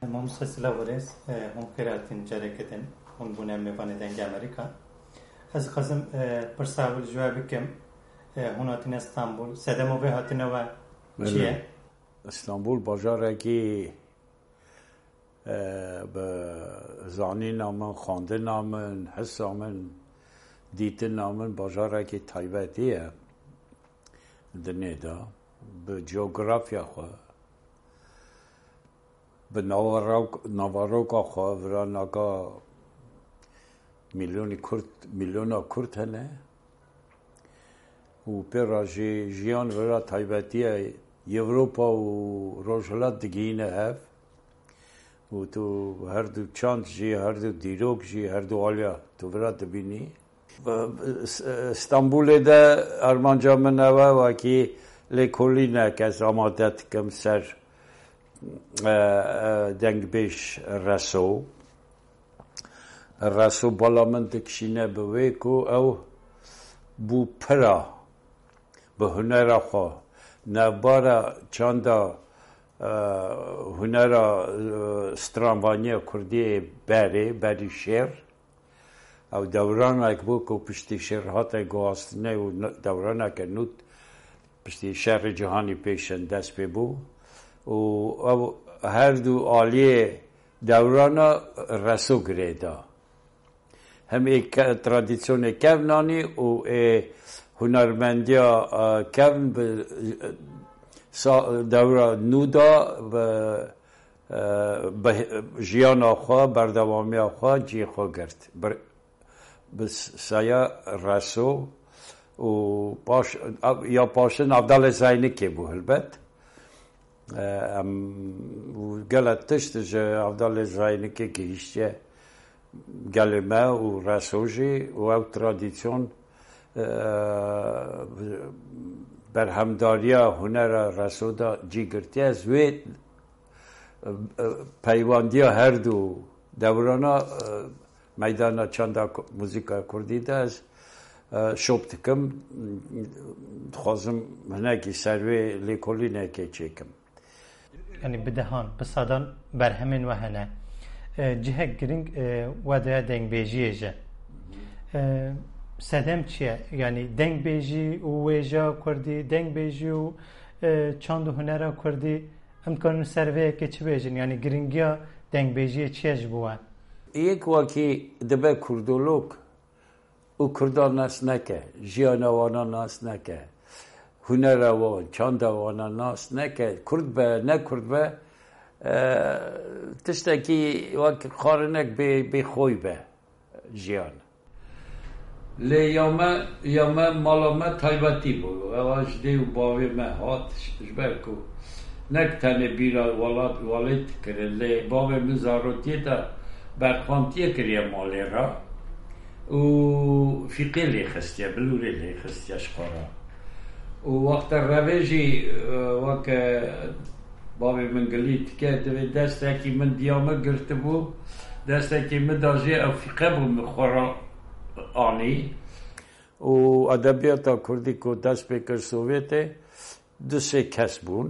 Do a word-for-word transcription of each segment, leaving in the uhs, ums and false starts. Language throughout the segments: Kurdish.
Mamoste silav û rêz, e, hûn xêr hatin careke din, hûn bûne mêvanê Dengê Amerîka. Ez dixwazim, e, pirsa ewil ji we bikim, e, hûn hatine Stenbol, sedema vê hatina we çi ye? Belê. Stenbol bajarekî, e, bi zanîna min, xwendina min, hisa min, dîtina min bajarekî taybetî ye dinê de, bi coğrafya xwe, bi navarok-, navaroka xwe, vira naka milyonî Kurd, milyona Kurd hene û pê re jî jiyan vira taybetiya Ewropa û Rojhilat digihîne hev û tu her du çand jî, her du dîrok jî, her du aliya tu vira dibînî. Stenbulê de armanca min ew e, wekî lêkolînek ez amade dikim ser, e, e, dengbêj Reso. Reso bala min dikişîne bi wê ku ew bû pira bi hunera xwe, navbara çanda, e, hunera, e, stranvaniya kurdî yê berê, berî şêr. Ew dewranek bû ku piştî şêr hate guhastinê û n-, dewraneke nû piştî şerê cîhanî pêşin dest pê bû û ew her du aliyê dewrana Reso girê da. Hem ê ke-, tradisyonê kevn anî û ê hunermendiya, e, kevn bi, e, sa-, dewra nû da bi, e, bi jiyana xwe, berdewamiya xwe, cihê xwe girt. Bir-, bi saya Reso û paş-, ya paşin Avdalê Zeynikê bû helbet. E, em, û gelek tişt ji Avdalê Zeynikê gihîştiye gelê me û Reso jî û ew tradisyon, e, berhemdariya hunera Reso da cî girtiye. Ez wê, e, e, peywandiya her du dewrana, e, meydana çanda ku-, muzîka kurdî de ez, e, şop dikim. Dixwazim hinekî ser wê lêkolînekê çêkim. Yanî bi dehan, bi sedan berhemên we hene. E, cihek girîng, e, we daye dengbêjiyê jî. E, sedem çi ye? Yanî dengbêjî û wêjeya kurdî, dengbêjî û, e, çand û hunera kurdî, em dikarin ser vê yekê çi bêjin? Yanî girîngiya dengbêjiyê çi ye ji bo we? Yek wekî dibe kurdolog û Kurdan nas neke, jiyana wana nas neke, hunera wan, çanda wana nas neke, Kurd be, ne Kurd be, e, tiştekî wek xarinek bê, bê xwe be jiyan. Lê ya me, ya me mala me taybetî bû. Ewa ji dê û bavê me hat, ji ber ku nek tenê bîra welat, welêt dikirin, lê bavê min zarotiyê de berxantiyê kiriye malê re û fîqê lê xistiye, bilûrê lê xistiye ji xwe re. Û wexta revê jî, e, weke bavê min gilî dike, divê destekî min diya min girtibû, destekî min da jê ew fîqe bû min xwe re anî. Û edebiyata kurdî ku dest pê kir Sovyetê, du sê kes bûn.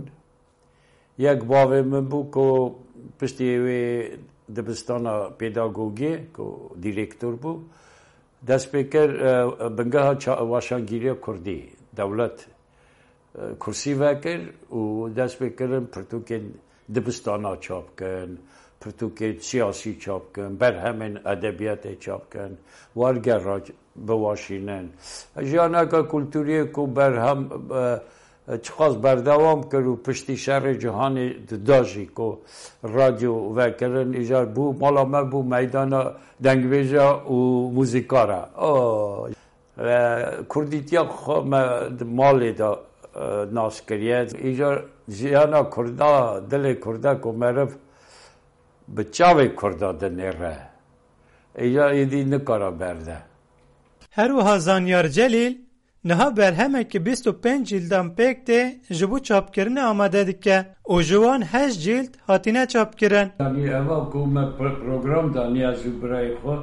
Yek bavê min bû ku piştî wê dibistana pêdagogiyê ku dîrektor bû, dest pê kir, e, bingeha ça-, weşangîriya kurdî, dewlet, e, kursî vekir û dest pê kirin pirtûkên dibistana çap kin, pirtûkên siyasî çap kin, berhemên edebiyatê çap kin, wergera biweşînin. Jiyaneke kulturiyê ku berhem, e, çiqas berdewam kir û piştî şerê cîhanê di da jî ku radyo vekirin, îcar bû, mala me bû meydana dengbêja û muzîkara. O, e, kurdîtiya xwe me di malê de, e, nas kiriye. Îcar jiyana kurda, dilê kurda ku meriv bi çavê kurda dinêre, îcar êdî nikara berde. Her wiha Zanyar Celîl niha berhemeke bîst û pênc cîldan pêk tê ji bo çapkirinê amade dike û ji wan heşt cîld hatine çapkirin. Yanî eva ku me pro-, program danî ez û birayê xwe,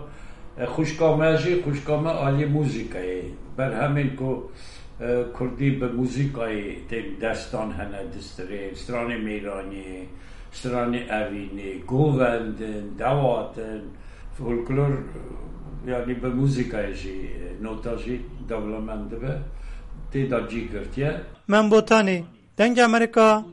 e, xwişka me jî, xwişka me alî muzîkayê. Berhemên ku, e, kurdî bi muzîkayê tên destan hene distirê, stranê mêranî, Stranê evînê, govendin, dewatin, folklor, yanî bi muzîkayê jî, nota jî dewlemend dibe, tê de cî girtiye. Mem Botanî, Dengê Amerîka,